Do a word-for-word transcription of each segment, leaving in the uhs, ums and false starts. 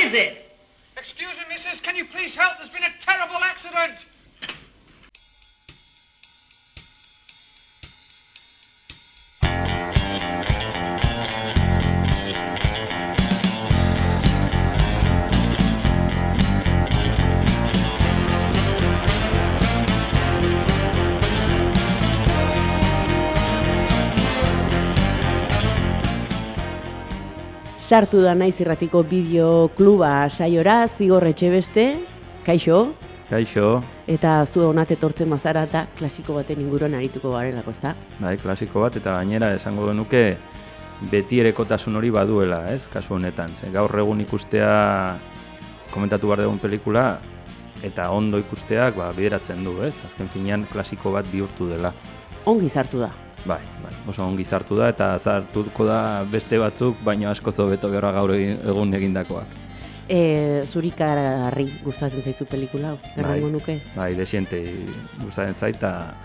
is it? Excuse me, missus, can you please help? There's been a terrible accident. Sartu da naiz irratiko bideokluba saiora, Zigor Etxebeste, kaixo. Kaixo. Eta zu honat etortzen bazara eta klasiko baten inguruan arituko garelako, ezta? Bai, klasiko bat, eta gainera esango genuke beti erekotasun hori baduela, ez, kasu honetan. Ze gaur egun ikustea komentatu behar dugun pelikula, eta ondo ikusteak ba, bideratzen du, ez? Azken finean klasiko bat bihurtu dela. Ongi sartu da. Bai, bai, oso ongi sartu da eta sartuko da beste batzuk, baina asko hobeto behar gaur egun egindakoak. E, zurikagarri gustatzen zaizu pelikula, errango nuke? Bai, desiente gustatzen zait, eta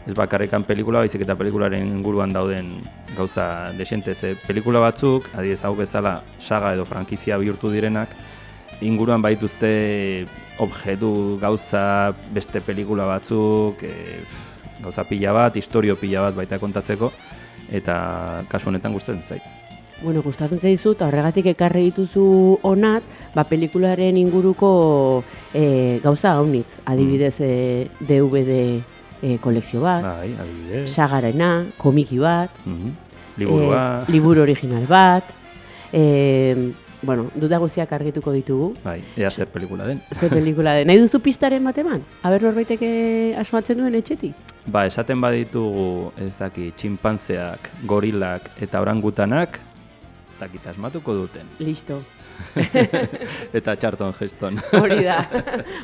ez bakarrekan pelikula, baizik eta pelikularen inguruan dauden gauza desiente. Ze pelikula batzuk, adibidez hau bezala saga edo frankizia bihurtu direnak, inguruan baituzte objektu gauza beste pelikula batzuk, e, gauza pila bat, historio pila bat baita kontatzeko, eta kasu honetan gustatzen zait. Bueno, gustatzen zaizu, eta horregatik ekarri dituzu honat, ba, pelikularen inguruko e, gauza gaunitz. Adibidez, mm. e, D V D e, kolekzio bat, bai, adibidez. Sagarena, komiki bat, mm-hmm. Liburua. E, liburu original bat, e, bueno, duda guztiak argituko ditugu. Bai, ea zer pelikula den. Zer pelikula den. Nahi duzu pistaren bat eman? Aber norbaiteke asmatzen duen etxetik? Ba, esaten baditugu, ez daki, txinpantzeak, gorilak eta orangutanak, dakit asmatuko duten. Listo. Eta Charlton Heston. Hori da,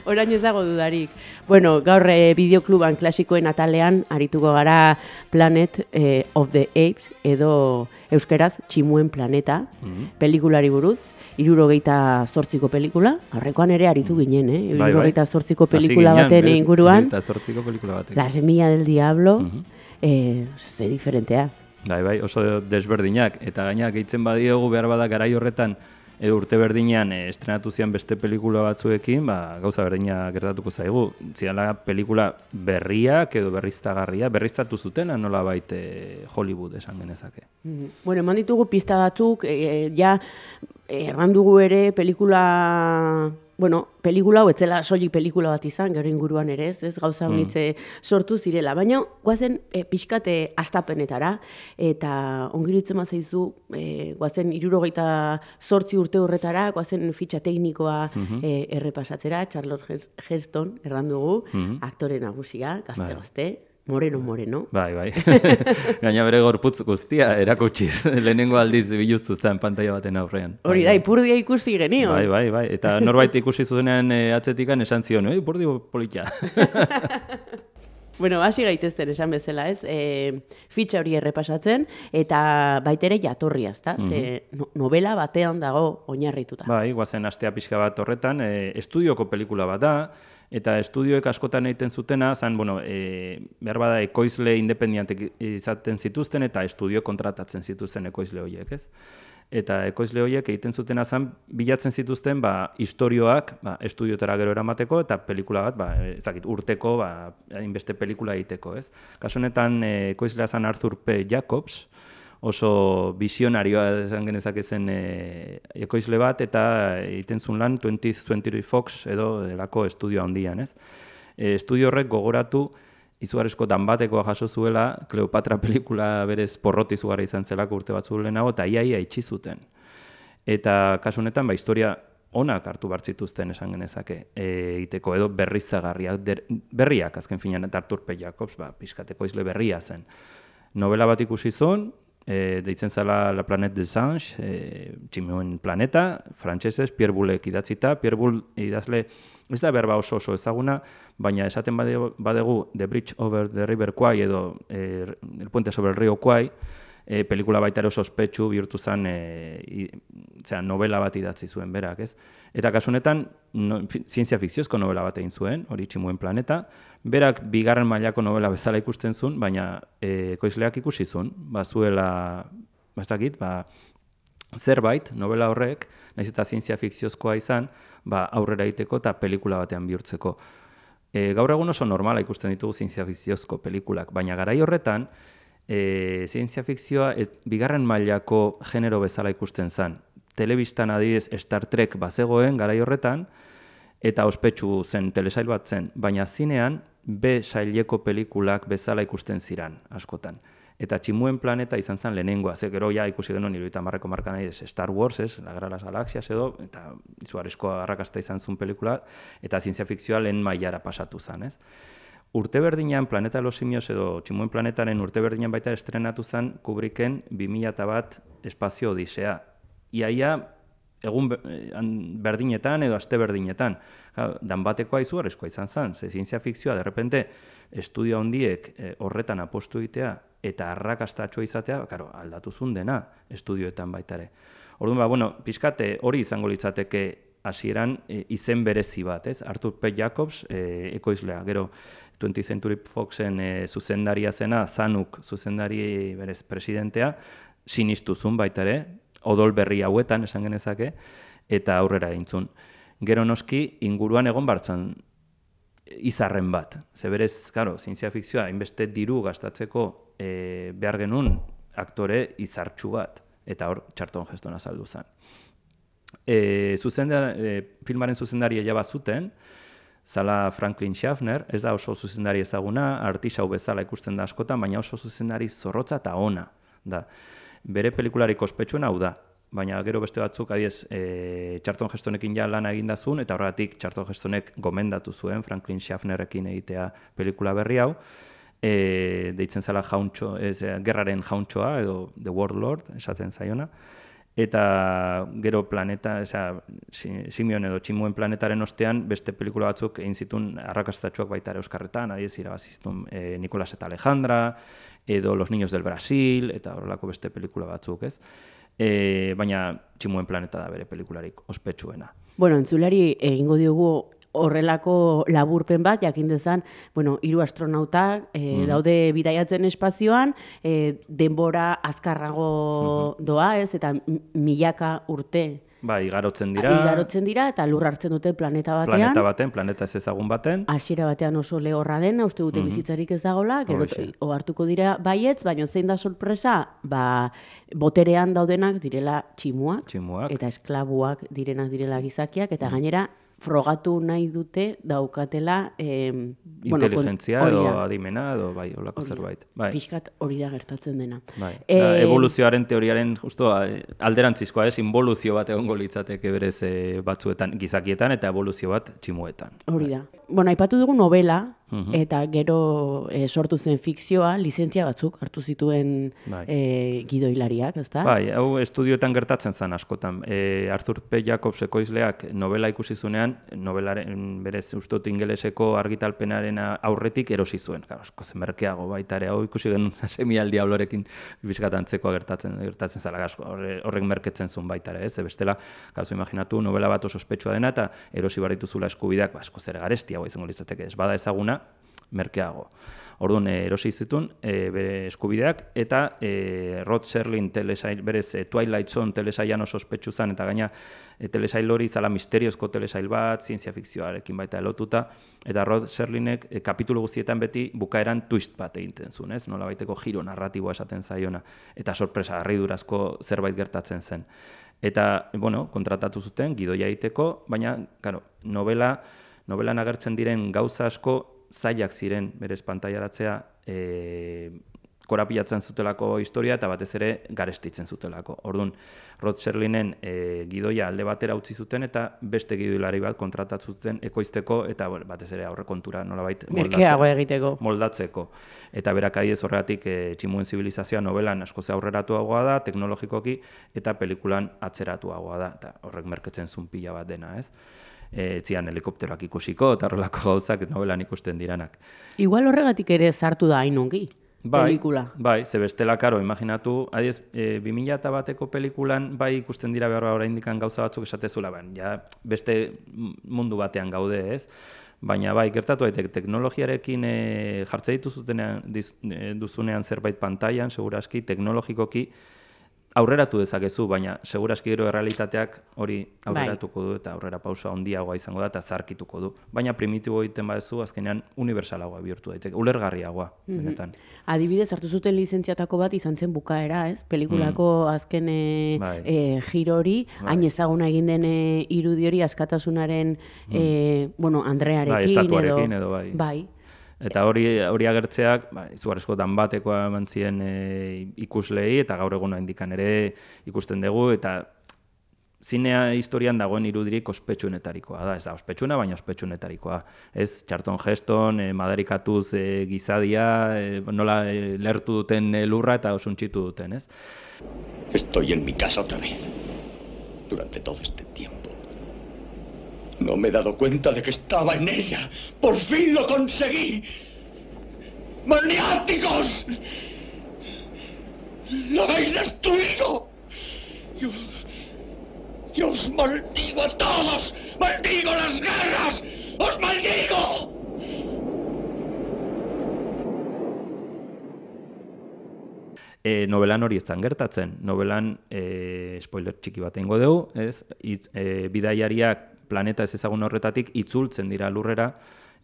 orain ez dago dudarik. Bueno, gaur e, bideokluban klasikoen atalean arituko gara Planet e, of the Apes edo euskeraz Tximuen planeta, mm-hmm. pelikulari buruz, hirurogeita zortziko pelikula, aurrekoan ere aritu ginen, eh? hirurogeita zortziko pelikula baten inguruan, hirurogeita zortziko pelikula baten. La semilla del diablo, mm-hmm. eh, ze diferentea. Bai, bai, oso desberdinak, eta gainak gehitzen badiogu behar bada garai horretan, edo urte berdinean e, estrenatu zian beste pelikula batzuekin, ba, gauza berdina gertatuko zaigu. Ziala pelikula berriak edo berriztagarria, berriztatu zutena nola baite Hollywood esan genezake. Mm-hmm. Bueno, eman ditugu pista batzuk, e, ja errandugu ere pelikula... Bueno, pelikula hau etzela soilik pelikula bat izan, gero inguruan ere ez, ez gauza honitze mm. sortu zirela, baina guazen e, pixkate astapenetara, eta ongiritzen mazaizu, e, guazen hirurogeita zortzi urte horretara, guazen fitxa teknikoa mm-hmm. e, errepasatzera, Charlton Heston errandugu, mm-hmm. aktore nagusia, gazte-gazte, moreno, moreno. Bai, bai. Gaina bere gorputz guztia erakutsiz. Lehenengo aldiz biluztuzten pantaila baten aurrean. Hori da, ipurdia ikusi genio. Bai, bai, bai. Eta norbait ikusi zuzenean e, atzetikan esan zion, eh, ipurdi polita. Bueno, hasi gaitezten esan bezala, ez? E, fitxa hori errepasatzen, eta baitere jatorria, ezta? Mm-hmm. Ze no, novela batean dago oinarrituta. Bai, guazen astea pixka bat horretan, e, estudioko pelikula bat da, eta estudioek askotan egiten zutena, zan, bueno, e, behar bada ekoizle independientek izaten zituzten, eta estudio kontratatzen zituzten ekoizle horiek, ez? Eta ekoizle horiek egiten zutena zan, bilatzen zituzten, ba, istorioak, ba, estudiotara gero eramateko, eta pelikula bat, ba, ez dakit, urteko, ba, inbeste pelikula egiteko, ez? Kasu honetan, e, ekoizlea zan Arthur P. Jacobs, oso visionarioa esan genezake zen e, ekoizle bat, eta egiten zuen lan twentieth Century Fox edo delako estudio handian, ez? E, estudio horrek gogoratu izugarrizko danbatekoa jaso zuela, Kleopatra pelikula berez porroti izugarra izan zelako urte batzu lehenago, eta iaia itxi zuten. Eta kasu honetan, ba, historia onak hartu bartzituzten esan genezake, egiteko edo berrizagarriak, berriak azken finean, eta Arthur P. Jacobs, ba, pixkateko izle berria zen. Novela bat ikusi zuen, E, deitzen zela La Planète des Anges, e, Tximuen planeta, frantsesez, Pierre Boulek idatzita. Pierre Boulle idazle, ez da berba oso oso ezaguna, baina esaten badegu The Bridge over the River Kwai edo e, El Puente sobre el Río Kwai, e, pelikula baita ere oso ospetsu bihurtu zen e, i, zera, novela bat idatzi zuen berak, ez? Eta kasu honetan, no, zientzia fikziozko novela bat egin zuen, hori Tximuen planeta, berak bigarren mailako novela bezala ikusten zuen, baina e, ekoizleak ikusi zuen, ba zuela, ba ez dakit, ba zerbait, novela horrek, nahiz eta zientzia fikziozkoa izan, ba, aurrera egiteko eta pelikula batean bihurtzeko. E, gaur egun oso normala ikusten ditugu zientzia fikziozko pelikulak, baina garai horretan, e, zientzia fikzioa et, bigarren mailako genero bezala ikusten zen. Telebistan adibidez Star Trek bazegoen garai horretan, eta ospetsu zen telesail bat zen, baina zinean B saileko pelikulak bezala ikusten ziran, askotan. Eta Tximuen planeta izan zen lehenengoa, ze gero ja ikusi genuen hirurogeita hamarreko marka nahi Star Wars, ez, La Guerra de las Galaxias edo, eta izugarrizko arrakasta izan zuen pelikula, eta zientzia fikzioa lehen mailara pasatu zen, ez. Urte berdinean, Planeta de los Simios edo Tximuen planetaren urte berdinean baita estrenatu zen Kubricken bi mila bat Espazio Odisea. Iaia, egun berdinetan edo aste berdinetan. Dan batekoa izugarrizkoa izan zen, ze zientzia fikzioa, derrepente, estudio handiek eh, horretan apostu egitea eta arrakastatxoa izatea, karo, aldatu zuen dena estudioetan baitare. Orduan, ba, bueno, pixkate hori izango litzateke hasieran e, izen berezi bat, ez? Arthur P. Jacobs, e, ekoizlea, gero twentieth Century Foxen e, zuzendaria zena, Zanuck zuzendari berez presidentea, sinistu zuen baitare, odol berri hauetan esan genezake, eta aurrera egintzun. Gero noski, inguruan egon bartzan izarren bat. Zeberez, karo, zientzia fikzioa, hainbeste diru gastatzeko e, behar genuen aktore izartxu bat, eta hor Charlton Heston azaldu zen. E, zuzendar, e, filmaren zuzendaria jaba zuten, zala Franklin Schaffner, ez da oso zuzendari ezaguna, artisau bezala ikusten da askotan, baina oso zuzendari zorrotza eta ona. Da. Bere pelikularik ospetsuena hau da, baina gero beste batzuk, adiez, e, Charlton Hestonekin ja lana egindazun, eta horregatik Charlton Hestonek gomendatu zuen Franklin Schaffnerekin egitea pelikula berri hau, e, deitzen zela jauntxo, ez, gerraren jauntxoa, edo The Warlord, esaten zaiona, eta gero planeta, eza, Simion edo Tximuen planetaren ostean, beste pelikula batzuk egin zituen arrakastatxoak baita ere Euskarretan, adiez, irabaziztun e, Nicolás eta Alejandra, edo Los Niños del Brasil, eta horrelako beste pelikula batzuk, ez? E, baina Tximuen planeta da bere pelikularik ospetsuena. Bueno, entzulari egingo diogu horrelako laburpen bat, jakin dezan, bueno, hiru astronautak e, mm-hmm. daude bidaiatzen espazioan, e, denbora azkarrago mm-hmm. doa, ez, eta milaka urte Ba, igarotzen dira. Igarotzen dira, eta lur hartzen dute planeta batean. Planeta baten, planeta ez ezagun baten. Hasiera batean oso lehorra dena, uste dute mm-hmm. bizitzarik ez dagoela, gero ohartuko dira baietz, baina zein da sorpresa, ba, boterean daudenak direla tximuak, tximuak. Eta esklabuak direnak direla gizakiak, eta mm-hmm. gainera, frogatu nahi dute daukatela eh, inteligentzia bueno, edo adimena edo bai, holako zerbait. Bai. Pixkat hori da gertatzen dena. Bai. Eh, evoluzioaren teoriaren justo alderantzizkoa, ez, involuzio bat egongo litzateke berez e, batzuetan gizakietan eta evoluzio bat tximuetan. Hori da. Bai. Bueno, aipatu dugu novela, uh-huh. eta gero e, sortu zen fikzioa, lizentzia batzuk hartu zituen bai. e, gidoilariak, ezta? Bai, hau estudioetan gertatzen zen askotan. E, Arthur P. Jacobs ekoizleak novela ikusi zuenean, novelaren berez ustut ingeleseko argitalpenaren aurretik erosi zuen. Claro, asko zen merkeago baita ere, hau ikusi genuen semial diablorekin bizkatantzekoa gertatzen gertatzen zela asko. Horrek merketzen zuen baita ere, ez? Bestela, kasu imaginatu novela bat oso ospetsua dena eta erosi barituzula eskubideak, ba, asko zer garestia izango litzateke, ez bada ezaguna, merkeago. Orduan, erosi zituen e, bere eskubideak, eta e, Rod Serling telesail, berez e, Twilight Zone telesailan oso ospetsu zen, eta gaina e, telesail hori zala misteriozko telesail bat, zientzia fikzioarekin baita elotuta, eta Rod Serlingek e, kapitulu guztietan beti bukaeran twist bat egiten zuen, ez? Nola baiteko giro narratiboa esaten zaiona, eta sorpresa harridurazko zerbait gertatzen zen. Eta, bueno, kontratatu zuten, gidoia egiteko, baina, claro, novela, novelan agertzen diren gauza asko zailak ziren berez pantailaratzea e, korapilatzen zutelako historia eta batez ere garestitzen zutelako. Orduan, Rod Serlingen e, gidoia alde batera utzi zuten eta beste gidoilari bat kontratatu zuten ekoizteko eta batez ere aurrekontura nolabait moldatzeko. egiteko. moldatzeko. Eta berak adibidez horregatik e, Tximuen zibilizazioa novelan asko ze aurreratuagoa da, teknologikoki, eta pelikulan atzeratuagoa da. Eta horrek merketzen zuen pila bat dena, ez? E, zian helikopteroak ikusiko eta horrelako gauzak novelan ikusten diranak. Igual horregatik ere sartu da hain ongi, bai, pelikula. Bai, ze bestela, karo, imaginatu, adiez, e, bi mila bateko pelikulan bai ikusten dira behar oraindik gauza batzuk esatezula, ben, ja, beste mundu batean gaude, ez? Baina bai, gertatu daiteke teknologiarekin e, jartze dituzutenean diz, e, duzunean zerbait pantailan, seguraski, teknologikoki aurreratu dezakezu, baina seguraski gero errealitateak hori aurreratuko du eta aurrera pausa handiagoa izango da eta zarkituko du. Baina primitibo egiten badezu, azkenean universalagoa bihurtu daiteke, ulergarriagoa, benetan. Adibidez, hartu zuten lizentziatako bat izan zen bukaera, ez? Pelikulako azken e, Bai. e, giro hori, hain ezaguna egin den e, irudi hori askatasunaren, e, bueno, Andrearekin, Bai, estatuarekin edo, bai. Bai. Eta hori hori agertzeak, ba, izugarrizko danbatekoa eman zien e, ikuslei, eta gaur egun indikan ere ikusten dugu, eta zinea historian dagoen irudirik ospetsuenetarikoa da, ez da ospetsuna, baina ospetsuenetarikoa. Ez, Charlton Heston, e, madarikatuz e, gizadia, e, nola e, lertu duten e, lurra eta osuntxitu duten, ez? Estoy en mi casa otra vez. Durante todo este tiempo. No me he dado cuenta de que estaba en ella. ¡Por fin lo conseguí! ¡Maniáticos! ¡Lo habéis destruido! Yo, yo os maldigo a todos. ¡Maldigo las guerras! ¡Os maldigo! E, novelan hori ez zan gertatzen. Novelan, e, spoiler txiki bat egingo dugu, ez? Itz, e, bidaiariak planeta ez ezagun horretatik itzultzen dira lurrera,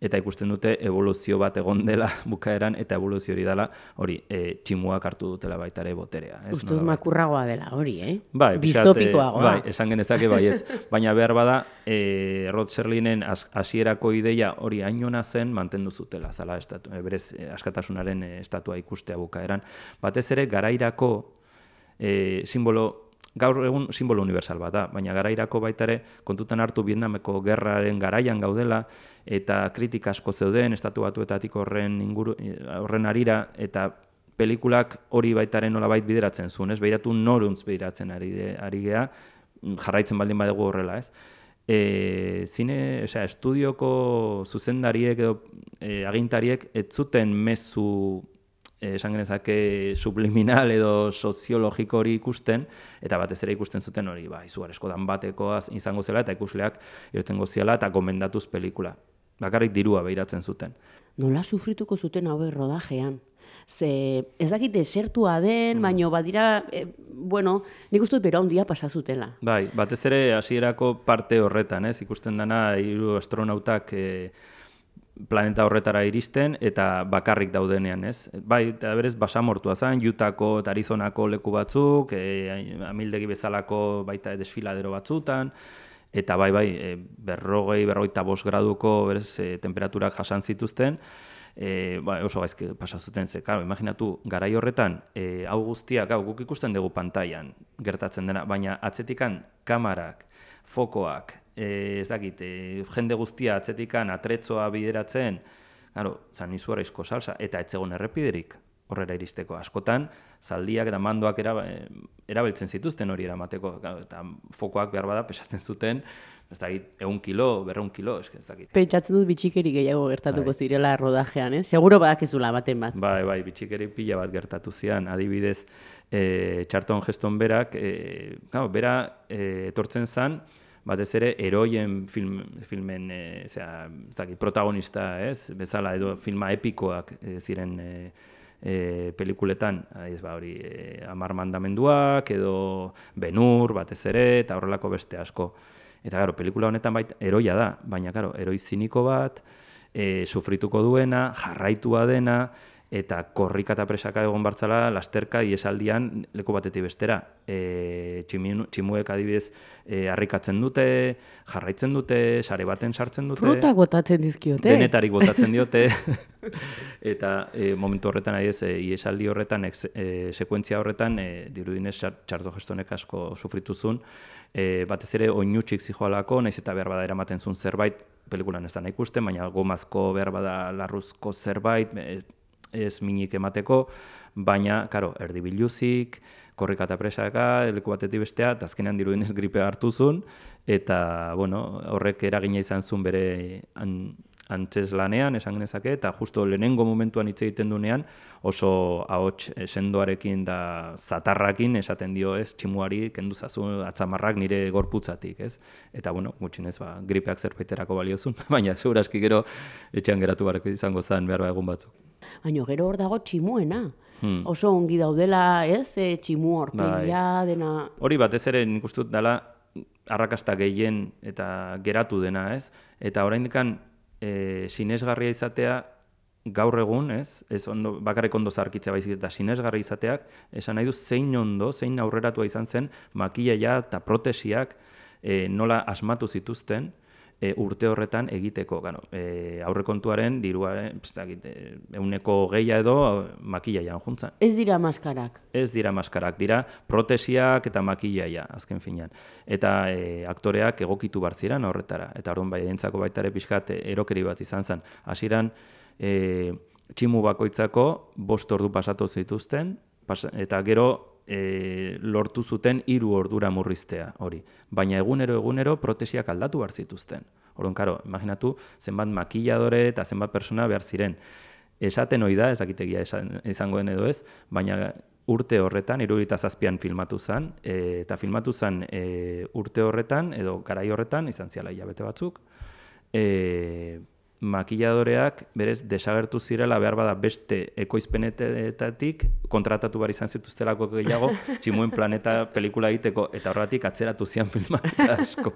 eta ikusten dute evoluzio bat egon dela bukaeran, eta evoluzio hori dela, hori, e, tximuak hartu dutela baita ere boterea. Ustuz makurragoa dela hori, eh? Bai, distopikoagoa. Bai, esan genezake baietz. Baina behar bada, e, Rod Serlinen hasierako ideia hori hainona zen mantendu zutela, zala estatu, e, berez e, askatasunaren e, estatua ikustea bukaeran. Batez ere, garairako e, simbolo, gaur egun simbolo universal bat da, baina garairako baita ere kontutan hartu Vietnameko gerraren garaian gaudela eta kritika asko zeuden estatu batuetatik horren inguru horren arira eta pelikulak hori baitaren nolabait bideratzen zuen, ez? Begiratu noruntz bideratzen ari ari gea, jarraitzen baldin badegu horrela, ez? E, zine, osea, estudioko zuzendariek edo e, agintariek ez zuten mezu esan genezake subliminal edo soziologiko hori ikusten, eta batez ere ikusten zuten hori, ba, izugarrizko danbatekoa izango zela, eta ikusleak irtengo ziala, eta gomendatuz pelikula. Bakarrik dirua behiratzen zuten. Nola sufrituko zuten hauek rodajean? Ze ez dakit desertua den, mm. baino badira, e, bueno, nik uste dut bera handia pasa zutela. Bai, batez ere hasierako parte horretan, ez? Ikusten dana hiru astronautak e, planeta horretara iristen eta bakarrik daudenean, ez? Bai, eta berez basamortua zen, Utahko eta Arizonako leku batzuk, e, amildegi bezalako baita desfiladero batzutan, eta bai, bai, e, berrogei, berrogeita bost graduko berez, e, temperaturak jasan zituzten, e, ba, oso gaizki pasa zuten ze, claro, imaginatu, garai horretan, e, hau guztiak, hau guk ikusten dugu pantailan gertatzen dena, baina atzetikan kamarak, fokoak, E, ez dakit, e, jende guztia atzetikan atretzoa bideratzen, claro, zan izugarrizko salsa, eta etzegon errepiderik horrera iristeko. Askotan, zaldiak eta mandoak era, erabiltzen zituzten hori eramateko, eta fokoak behar bada pesatzen zuten, ez dakit, egun kilo, berreun kilo, ez dakit. Pentsatzen dut bitxikeri gehiago gertatuko bai. zirela rodajean, ez? Seguro badakizula baten bat. Bai, bai, bitxikeri pila bat gertatu zian, adibidez, e, Charlton Heston berak, e, claro, bera e, etortzen zan, batez ere, heroien film, filmen e, zera, zaki, protagonista, ez? Bezala, edo filma epikoak e, ziren e, e, pelikuletan, ez ba hori, e, Hamar Mandamenduak, edo Ben-Hur, batez ere, eta horrelako beste asko. Eta, gero, pelikula honetan bait, heroia da, baina, gero, heroi ziniko bat, e, sufrituko duena, jarraitua dena, eta korrika eta presaka egon bartzala lasterka iesaldian leku batetik bestera. E, tximuek adibidez e, harrikatzen dute, jarraitzen dute, sare baten sartzen dute. Frutak botatzen dizkiote. Denetarik botatzen diote. Eta e, momentu horretan, adibidez, e, iesaldi horretan, ex, e, sekuentzia horretan, e, dirudinez Charlton Hestonek asko sufrituzun, e, batez ere oinutxik zijoalako, naiz eta behar bada eramaten zuen zerbait, pelikulan ez da nahi ikusten, baina gomazko behar bada larruzko zerbait, e, ez minik emateko, baina, karo, erdi biluzik, korrika eta presaka, leku batetik bestea, eta azkenean dirudenez gripe hartu zuen, eta, bueno, horrek eragina izan zuen bere an, antzes lanean, esan genezake, eta justo lehenengo momentuan hitz egiten dunean, oso ahots sendoarekin da zatarrakin esaten dio, ez, tximuari kendu zazu atzamarrak nire gorputzatik, ez? Eta, bueno, gutxinez, ba, gripeak zerbaiterako baliozun, baina segurazki gero etxean geratu bareko izango zen behar egun batzuk. Baina gero hor dago tximuena. Hmm. oso ongi daudela, ez? E, tximu horpegia, dena... Hori batez ere nik uste dut dela arrakasta gehien eta geratu dena, ez? Eta oraindikan e, sinesgarria izatea gaur egun, ez? Ez ondo, bakarrik ondo zarkitzea baizik eta sinesgarria izateak, esan nahi du zein ondo, zein aurreratua izan zen makillaia eta protesiak e, nola asmatu zituzten e, urte horretan egiteko. Gano, e, aurrekontuaren dirua, euneko geia edo makillaian juntzan. Ez dira maskarak. Ez dira maskarak, dira protesiak eta makillaia, azken finean. Eta e, aktoreak egokitu bartziran horretara. Eta orduan bai, entzako baita ere pixkat erokeri bat izan zen. Hasieran e, tximu bakoitzako bost ordu pasatu zituzten, pas, eta gero E, lortu zuten hiru ordura murriztea hori. Baina egunero egunero protesiak aldatu behar zituzten. Orduan, karo, imaginatu zenbat makilladore eta zenbat persona behar ziren. Esaten hori da, ez dakitegia esan, izangoen edo ez, baina urte horretan, hirurogeita zazpian filmatu zen, e, eta filmatu zen e, urte horretan, edo garai horretan, izan ziala hilabete batzuk, e, makilladoreak berez desagertu zirela behar bada beste ekoizpenetatik kontratatu behar izan zituztelako gehiago Tximuen planeta pelikula egiteko eta horretik atzeratu zian filmak asko.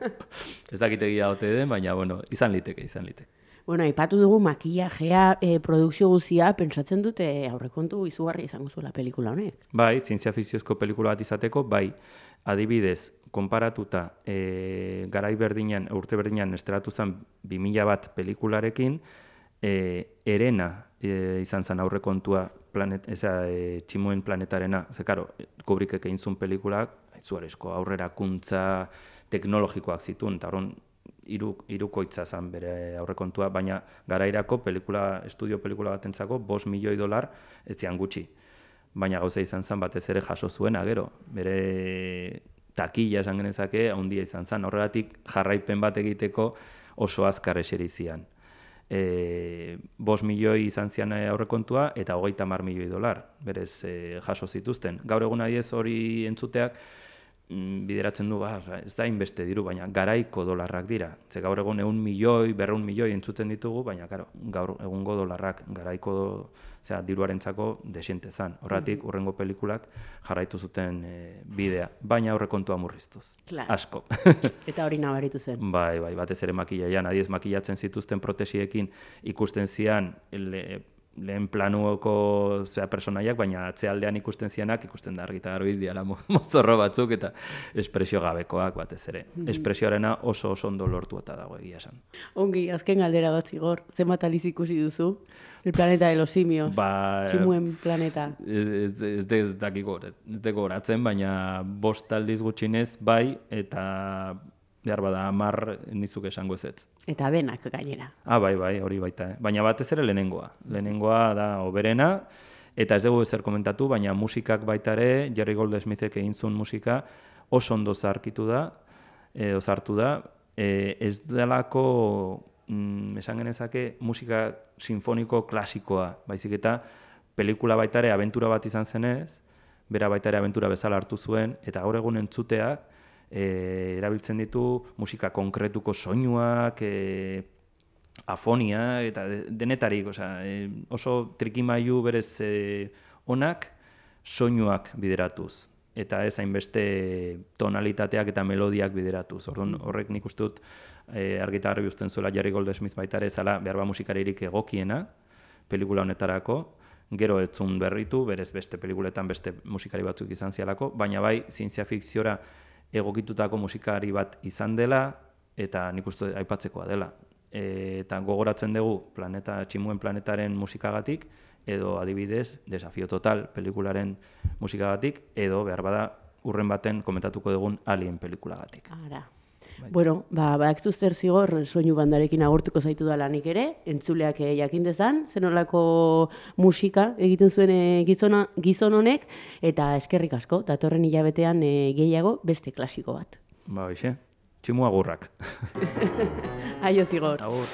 Ez dakitegia ote den, baina bueno, izan liteke, izan liteke. Bueno, aipatu dugu makillajea, e, produkzio guzia, pentsatzen dute aurrekontu izugarri izango zuela pelikula honek. Bai, zientzia fikziozko pelikula bat izateko, bai, adibidez, konparatuta e, garai berdinean, urte berdinean estratu zen bi mila bat pelikularekin, e, erena e, izan zen aurrekontua planet, eza, e, Tximuen planetarena. Ze, karo, Kubrickek egin zuen pelikulak, izugarrizko aurrerakuntza teknologikoak zituen, eta horren hiru hirukoitza zen bere aurrekontua, baina garairako pelikula, estudio pelikula batentzako bost milioi dolar ez zian gutxi. Baina gauza izan zen batez ere jaso zuena gero, bere takila esan genezake handia izan zen, horregatik jarraipen bat egiteko oso azkar eseri zian. E, bost milioi izan zian aurrekontua eta hogeita hamar milioi dolar, berez e, jaso zituzten. Gaur egun adiez hori entzuteak bideratzen du, ba, ez da inbeste diru, baina garaiko dolarrak dira. Ze gaur egun ehun milioi, berrehun milioi entzuten ditugu, baina claro, gaur egungo dolarrak garaiko zera, diruarentzako desiente zan. Horratik, urrengo pelikulak jarraitu zuten e, bidea, baina aurrekontua murriztuz. Claro. Asko. Eta hori nabaritu zen. Bai, bai, batez ere makillaian, adiez makillatzen zituzten protesiekin ikusten zian le, lehen planuoko zera, personaiak, baina atzealdean ikusten zianak, ikusten da argita garbi diala mozorro batzuk eta espresio gabekoak batez ere. Mm. Espresioarena oso oso ondo lortu eta dago egia esan. Ongi, azken galdera bat zigor, zenbat aliz ikusi duzu? El planeta de los simios, ba, Tximuen planeta. Ez, ez, ez, ez dakiko, ez deko goratzen, baina bost aldiz gutxinez bai, eta behar bada hamar nizuk esango ezetz. Eta denak gainera. Ah, bai, bai, hori baita. Eh? Baina batez ere lehenengoa. Lehenengoa da oberena, eta ez dugu ezer komentatu, baina musikak baita ere, Jerry Goldsmithek egin zuen musika, oso ondo zarkitu da, edo zartu da, e, ez delako, mm, esan genezake, musika sinfoniko klasikoa, baizik eta pelikula baita ere abentura bat izan zenez, bera baita ere abentura bezala hartu zuen, eta gaur egun entzuteak, E, erabiltzen ditu musika konkretuko soinuak, e, afonia, eta denetarik, osea, e, oso trikimailu berez e, onak soinuak bideratuz, eta ez hainbeste tonalitateak eta melodiak bideratuz. Orduan, horrek nik uste dut e, argita garbi uzten zuela Jerry Goldsmith baita ere zala behar ba musikaririk egokiena pelikula honetarako, gero ez zuen berritu, berez beste pelikuletan beste musikari batzuk izan zialako, baina bai zientzia fikziora egokitutako musikari bat izan dela, eta nik uste aipatzekoa dela. E, eta gogoratzen dugu planeta, Tximuen planetaren musikagatik, edo adibidez, Desafio Total pelikularen musikagatik, edo behar bada urren baten komentatuko dugun Alien pelikulagatik. Ara. Bai. Bueno, ba, badaktu zer zigor soinu bandarekin agurtuko zaitu da lanik ere, entzuleak jakin dezan, zenolako musika egiten zuen e, gizona, gizon honek, eta eskerrik asko, datorren hilabetean e, gehiago beste klasiko bat. Ba, bixe, Tximu agurrak. Aio zigor. Agur.